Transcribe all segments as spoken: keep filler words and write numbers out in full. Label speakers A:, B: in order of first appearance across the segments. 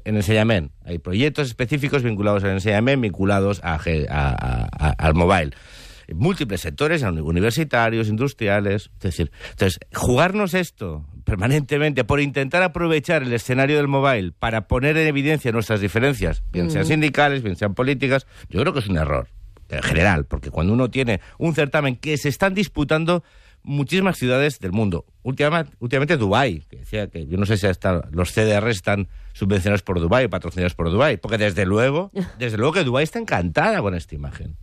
A: en enseñamiento. Hay proyectos específicos vinculados al enseñamiento, vinculados a, a, a, a, al mobile. Múltiples sectores, universitarios, industriales. Es decir, entonces, jugarnos esto permanentemente por intentar aprovechar el escenario del mobile para poner en evidencia nuestras diferencias, bien sean sindicales, bien sean políticas, yo creo que es un error, en general, porque cuando uno tiene un certamen que se están disputando muchísimas ciudades del mundo, últimamente, últimamente Dubái, que decía que yo no sé si hasta los C D R están subvencionados por Dubái, patrocinados por Dubái, porque desde luego, desde luego que Dubái está encantada con esta imagen.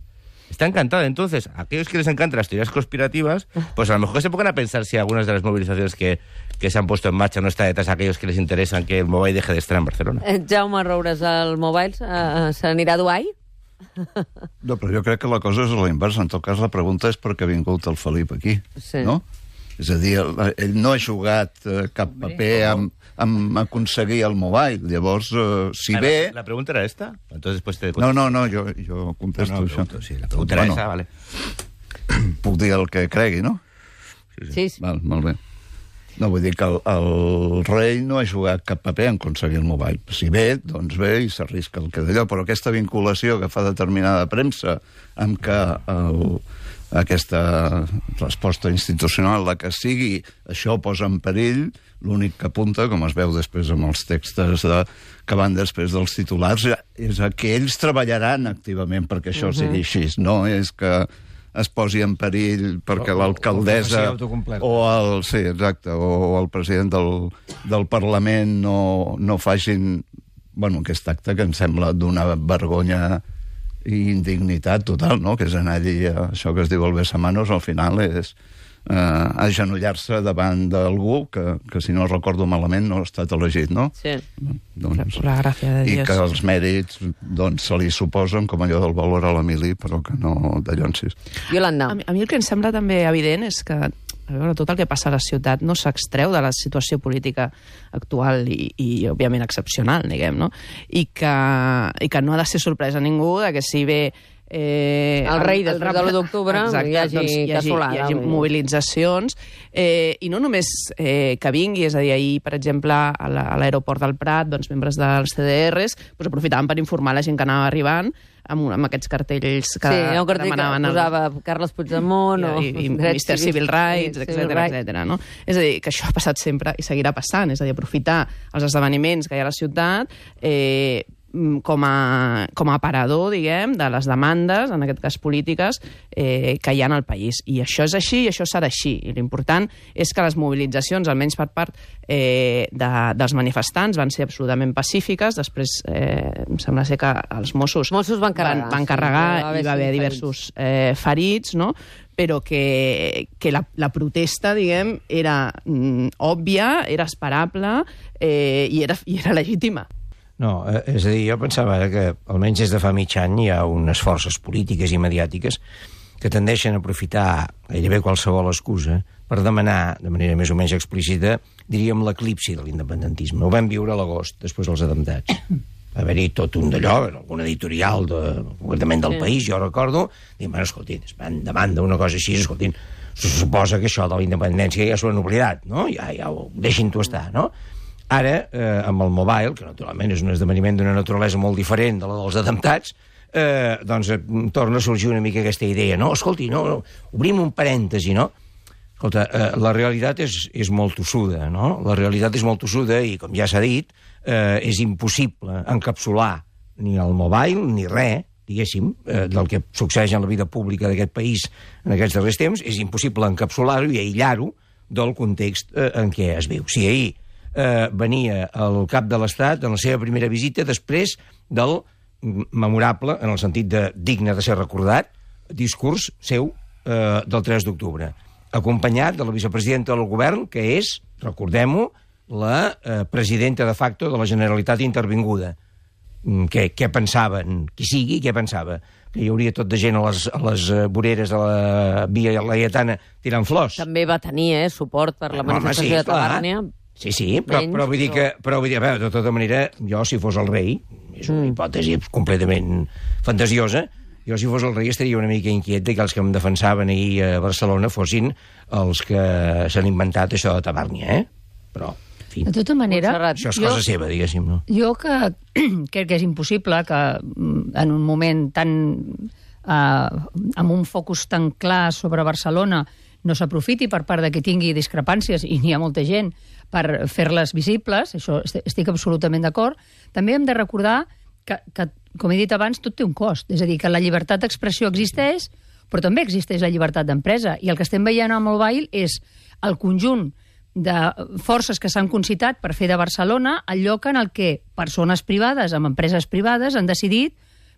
A: Está encantada. Entonces, a aquellos que les encantan las teorías conspirativas, pues a lo mejor se pongan a pensar si algunas de las movilizaciones que, que se han puesto en marcha no está detrás a aquellos que les interesan que el mobile deje de estar en Barcelona.
B: Eh, Jaume Roures, el mobile uh, se n'anirà a Dubái?
C: No, però jo crec que la cosa és a la inversa. En tot cas, la pregunta és per què ha vingut el Felip aquí,
B: sí.
C: no? És a dir, ell no ha jugat eh, cap paper amb, amb aconseguir el mobile. Llavors, eh, si
A: ah,
C: bé...
A: La, la pregunta era esta? Entonces, pues te
C: no, no, no, jo, jo contesto
A: no, no,
C: això.
A: Pregunto, sí, la pregunta era
C: bueno,
A: esa, vale.
C: Puc dir el que cregui, no?
B: Sí, sí. sí.
C: Val, molt bé. No, vull dir que el, el rei no ha jugat cap paper en aconseguir el mobile. Si bé, doncs bé, i s'arrisca el que d'allò, però aquesta vinculació que fa determinada premsa amb que el, aquesta resposta institucional, la que sigui, això posa en perill, l'únic que apunta, com es veu després amb els textos de, que van després dels titulars, és que ells treballaran activament perquè això uh-huh. sigui així. No és que es posi en perill perquè l'alcaldessa o el, sí, exacte, o el president del, del Parlament no, no facin bueno, aquest acte que em sembla d'una vergonya i indignitat total, no? Que és anar allí, això que es diu el besamanos, al final és eh, agenollar-se davant d'algú que, que, si no recordo malament, no ha estat elegit, no?
B: Sí.
C: Doncs,
D: per la gràcia de Dios.
C: I que els mèrits doncs, se li suposen com allò del valor a l'Emili, però que no d'allonsis.
B: Iolanda.
D: A mi, a mi el que em sembla també evident és que a veure, tot el que passa a la ciutat no s'extreu de la situació política actual i, i òbviament, excepcional, diguem, no? I que, i que no ha de ser sorpresa a ningú de que si bé
B: Eh, el rei després de l'u d'octubre hi hagi,
D: doncs, hi hagi,
B: casolada,
D: hi hagi mobilitzacions eh, i no només eh, que vingui, és a dir, ahir, per exemple, a l'aeroport del Prat, doncs, membres dels C D Rs doncs, aprofitaven per informar la gent que anava arribant amb, amb aquests cartells que,
B: sí, un cartell
D: que demanaven
B: que posava el... Carles Puigdemont
D: i,
B: o
D: i, i mister Civil Rights, etcètera, etcètera, no? És a dir, que això ha passat sempre i seguirà passant, és a dir, aprofitar els esdeveniments que hi ha a la ciutat eh, com a, com a aparador, diguem, de les demandes, en aquest cas polítiques, eh, que hi ha al país. I això és així i això serà així. I l'important és que les mobilitzacions, almenys per part eh, de, dels manifestants, van ser absolutament pacífiques. Després, eh, em sembla ser que els Mossos,
B: Mossos van carregar,
D: van, van carregar
B: sí,
D: i va haver diversos eh, ferits, no? Però que, que la, la protesta, diguem, era mm, òbvia, era esperable eh, i, era, i era legítima.
E: No, és a dir, jo pensava que almenys des de fa mig any hi ha unes forces polítiques i mediàtiques que tendeixen a aprofitar gairebé qualsevol excusa per demanar, de manera més o menys explícita, diríem, l'eclipsi de l'independentisme. Ho vam viure a l'agost, després dels atemptats. Va haver-hi tot un d'allò, algun editorial de, concretament del País, jo recordo, dient, bueno, escolti, van davant d'una cosa així, escolti, se suposa que això de la independència ja s'ho han oblidat, no? Ja, ja ho deixin-ho estar, no? Ara, eh, amb el mobile, que naturalment és un esdeveniment d'una naturalesa molt diferent de la dels atemptats, eh, doncs eh, torna a sorgir una mica aquesta idea, no? Escolti, no, no obrim un parèntesi, no? Escolta, eh, la realitat és, és molt tossuda, no? La realitat és molt tossuda i, com ja s'ha dit, eh, és impossible encapsular ni el mobile ni res, diguéssim, eh, del que succeeix en la vida pública d'aquest país en aquests darrers temps, és impossible encapsular-ho i aïllar-ho del context eh, en què es viu. Si ahir eh, venia el cap de l'Estat en la seva primera visita després del memorable, en el sentit de digne de ser recordat, discurs seu eh, del tres d'octubre, acompanyat de la vicepresidenta del govern, que és, recordem-ho, la eh, presidenta de facto de la Generalitat intervinguda. Què, què pensaven? Qui sigui, què pensava? Que hi hauria tot de gent a les, a les voreres de la Via Laietana tirant flors.
B: També va tenir eh, suport per la manifestació
E: home, sí,
B: de Tabàrnia.
E: Sí, sí, però,
B: Menys,
E: però vull dir que, però vull dir, a veure, de tota manera, jo, si fos el rei, és una hipòtesi completament fantasiosa, jo, si fos el rei, estaria una mica inquiet de que els que em defensaven ahir a Barcelona fossin els que s'han inventat això de Tabàrnia, eh? Però... fi.
F: De tota manera...
B: Montserrat.
E: Això és
F: jo,
E: cosa seva, diguéssim, no?
F: Jo que crec que és impossible que mm, en un moment tan... Eh, amb un focus tan clar sobre Barcelona no s'aprofiti per part de que tingui discrepàncies, i n'hi ha molta gent, per fer-les visibles, això estic absolutament d'acord. També hem de recordar que, que, com he dit abans, tot té un cost. És a dir, que la llibertat d'expressió existeix, però també existeix la llibertat d'empresa. I el que estem veient amb el mobile és el conjunt de forces que s'han concitat per fer de Barcelona el lloc en el que persones privades amb empreses privades han decidit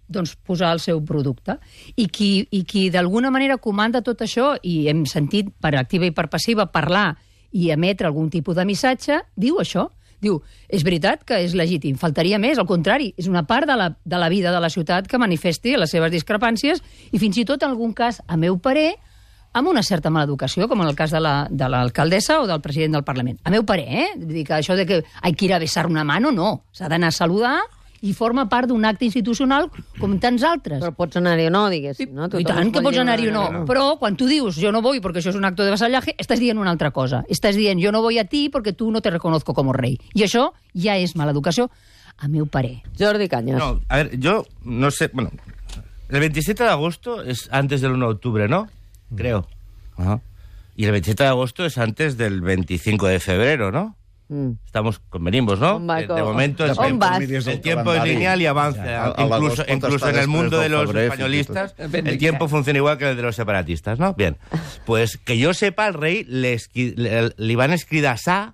F: doncs, posar el seu producte. I qui, i qui d'alguna manera comanda tot això, i hem sentit per activa i per passiva parlar i emetre algun tipus de missatge, diu això. Diu, és veritat que és legítim, faltaria més, al contrari, és una part de la, de la vida de la ciutat que manifesti les seves discrepàncies i fins i tot en algun cas, a meu parer, amb una certa maleducació, com en el cas de la, de l'alcaldessa o del president del Parlament. A meu parer, eh? Vull dir que això de que hay que ir a besar una mano, no. S'ha d'anar a saludar i forma part d'un acte institucional com tants altres.
B: Però pots anar-hi o no, diguéssim. No?
F: I tant que pots anar-hi o no.
B: no.
F: Però quan tu dius yo no voy porque això és un acto de vasallaje, estàs dient una altra cosa. Estàs dient yo no voy a ti porque tú no te reconozco como rey. I això ja és maleducació, a meu parer.
B: Jordi Cañas.
A: No, a ver, yo no sé... Bueno, el veintisiete de agosto es antes del uno de octubre, ¿no? Creo. Ajá. Y el veintisiete de agosto es antes del veinticinco de febrero, ¿no?
B: Mm.
A: Estamos, convenimos, ¿no?
B: Va,
A: De, de momento el,
B: on vas?
A: el tiempo es lineal y avanza.
C: Ja, a- a
A: incluso
C: l'agost
A: incluso
C: pot
A: en el
C: estar
A: mundo de
C: després del
A: los
C: febrer,
A: españolistas,
C: fins i
A: el tiempo funciona igual que el de los separatistas, ¿no? Bien. Pues que yo sepa, al rey le, esqui- le, le iban a escridasar,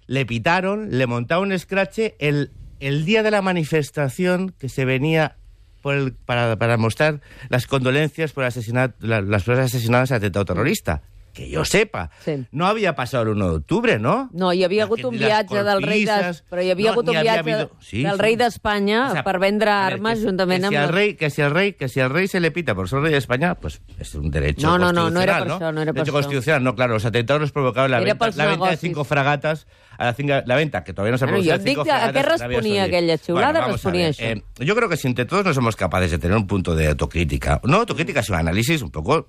A: le pitaron, le montaron un escrache el, el día de la manifestación que se venía por el, para, para mostrar las condolencias por el asesinato, la- las personas asesinadas en atentado terrorista. Que yo sepa.
B: Sí.
A: No havia passat el uno d'octubre, no?
B: No, hi havia
A: La
B: hagut
A: que-
B: un
A: les
B: viatge del rei de...
A: cortises,
B: Però hi havia
A: no,
B: hagut un
A: ni havia
B: viatge
A: habido- sí,
B: del
A: sí.
B: rei d'Espanya
A: O sea,
B: per vendre
A: a ver,
B: armes
A: que-
B: juntament
A: que
B: amb...
A: si al
B: les-
A: rey, que si al rey, que si al rey se le pita por ser rey de España, pues es un derecho
B: No, no, no,
A: constitucional,
B: no era per això, no era per
A: derecho
B: això.
A: constitucional, no, claro, los atentados los provocaron la
B: Era
A: venta,
B: pels
A: la venta de
B: negocis.
A: cinco fragatas, a la, cinga- la venta, que todavía no se ha
B: Bueno,
A: producido,
B: yo dic
A: cinco
B: que a
A: fragatas
B: qué
A: en Arabia
B: respondía
A: Saudí.
B: aquella chulada,
A: Bueno, vamos a
B: respondía
A: ver,
B: eso.
A: eh, yo creo que si entre todos no somos capaces de tener un punto de autocrítica, no autocrítica, sino análisis un poco...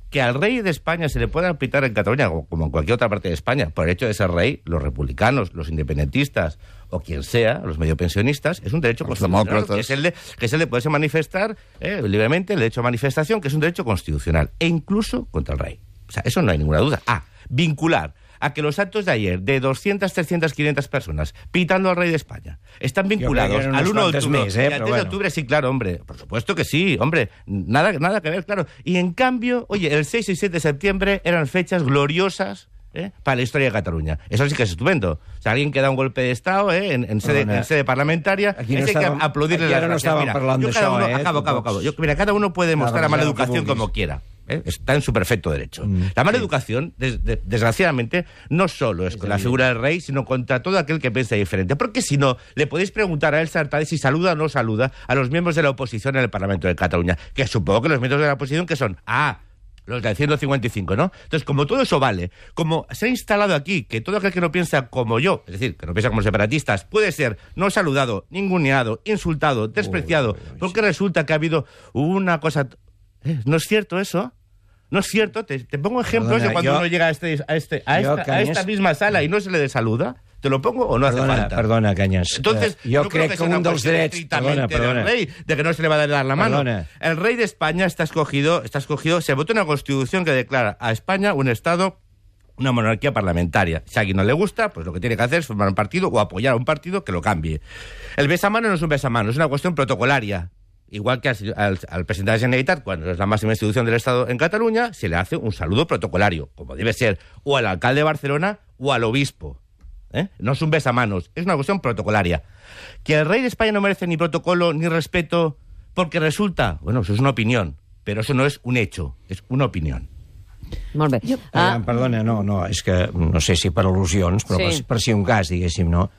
A: Que al rey de España se le pueda aplicar en Cataluña, como en cualquier otra parte de España, por el hecho de ser rey, los republicanos, los independentistas o quien sea, los mediopensionistas, es un derecho
C: Los
A: constitucional,
C: demócratas.
A: que es el de, que es el de poderse manifestar eh, libremente, el derecho a manifestación, que es un derecho constitucional, e incluso contra el rey. O sea, eso no hay ninguna duda. Ah, vincular a que los actos de ayer de doscientas, trescientas, quinientas personas pitando al rey de España están vinculados
E: eren
A: al
E: unos
A: uno de
E: cuantos
A: octubre.
E: més, eh,
A: Y al
E: però
A: tres de
E: bueno.
A: octubre, sí, claro, hombre. Por supuesto que sí, hombre. Nada, nada que ver, claro. Y en cambio, oye, el seis y siete de septiembre eran fechas gloriosas ¿eh? para la historia de Cataluña. Eso sí que es estupendo. O sea, alguien que da un golpe de Estado ¿eh? en, en, sede,
E: Perdona.
A: en sede parlamentaria,
E: Aquí no
A: ese hay
E: estàvem-
A: que aplaudirle
E: aquí
A: las
E: ara no
A: gracias.
E: estàvem
A: Mira,
E: parlant
A: yo cada
E: d'això,
A: uno,
E: eh?
A: acabo, acabo, acabo. Yo, mira, cada uno puede mostrar la
E: Claro,
A: maleducación
E: claro, que
A: como
E: vulguis.
A: quiera. ¿eh? Está en su perfecto derecho.
E: Mm,
A: la maleducación, des- de- desgraciadamente, no solo es con la figura del rey, sino contra todo aquel que piensa diferente. Porque si no, le podéis preguntar a Elsa Artadi si saluda o no saluda a los miembros de la oposición en el Parlamento de Cataluña. Que supongo que los miembros de la oposición que son, ah, los del ciento cincuenta y cinco, ¿no? Entonces, como todo eso vale, como se ha instalado aquí que todo aquel que no piensa como yo, es decir, que no piensa como separatistas, puede ser no saludado, ninguneado, insultado, despreciado,
E: Uy, uy, uy,
A: porque resulta que ha habido una cosa... ¿Eh? ¿No es cierto eso? ¿No es cierto? Te, te pongo ejemplos
E: Perdona,
A: de cuando
E: yo-
A: uno llega a, este, a, este, a,
E: yo,
A: esta, a
E: Cañas-
A: esta misma sala y no se le saluda. ¿Te lo pongo o no
E: Perdona,
A: hace falta?
E: perdona, Cañas.
A: Entonces,
E: Eh, jo
A: no creo
E: crec que,
A: sea una
E: un dels
A: cuestión
E: drets...
A: estrictamente
E: Perdona, perdona.
A: del rey, de que no se le va a dar la mano.
E: Perdona.
A: El rey de España está escogido, está escogido, se votó una constitución que declara a España un Estado, una monarquía parlamentaria. Si a alguien no le gusta, pues lo que tiene que hacer es formar un partido o apoyar a un partido que lo cambie. El besamano no es un besamano, es una cuestión protocolaria. Igual que al, al, al presidente de la Generalitat, cuando es la máxima institución del Estado en Cataluña, se le hace un saludo protocolario, como debe ser, o al alcalde de Barcelona o al obispo. ¿Eh? No es un besamanos, es una cuestión protocolaria. Que el rey de España no merece ni protocolo ni respeto porque resulta, bueno, eso es una opinión, pero eso no es un hecho, es una opinión.
B: Molt bé.
E: Ah.
B: Ah,
E: Perdona, no, no, és que no sé si per al·lusions, però
B: Sí.
E: per, per si un cas, diguéssim, no?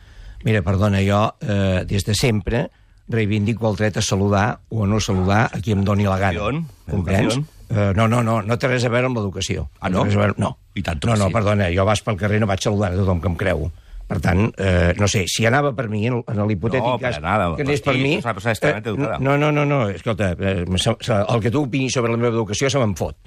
E: Mira, perdona, jo eh, des de sempre reivindico el dret a saludar o a no saludar a qui em doni la gana.
A: Educació,
E: Comprens?
A: educació.
E: Eh, no, no, no, no té res a veure amb l'educació.
A: Ah, no?
E: té res a veure, no.
A: I tant
E: no,
A: que
E: no,
A: sí.
E: perdona, jo vas pel carrer no vaig saludant a tothom que em creu. Per tant, eh, no sé, si anava per mi, en, en l'hipotètic
A: No,
E: cas
A: per nada,
E: que anés per
A: sí,
E: mi...
A: és una persona extremadament educada.
E: no, no, no, no, escolta, eh, se- se- el que tu opinis sobre la meva educació se me'n fot.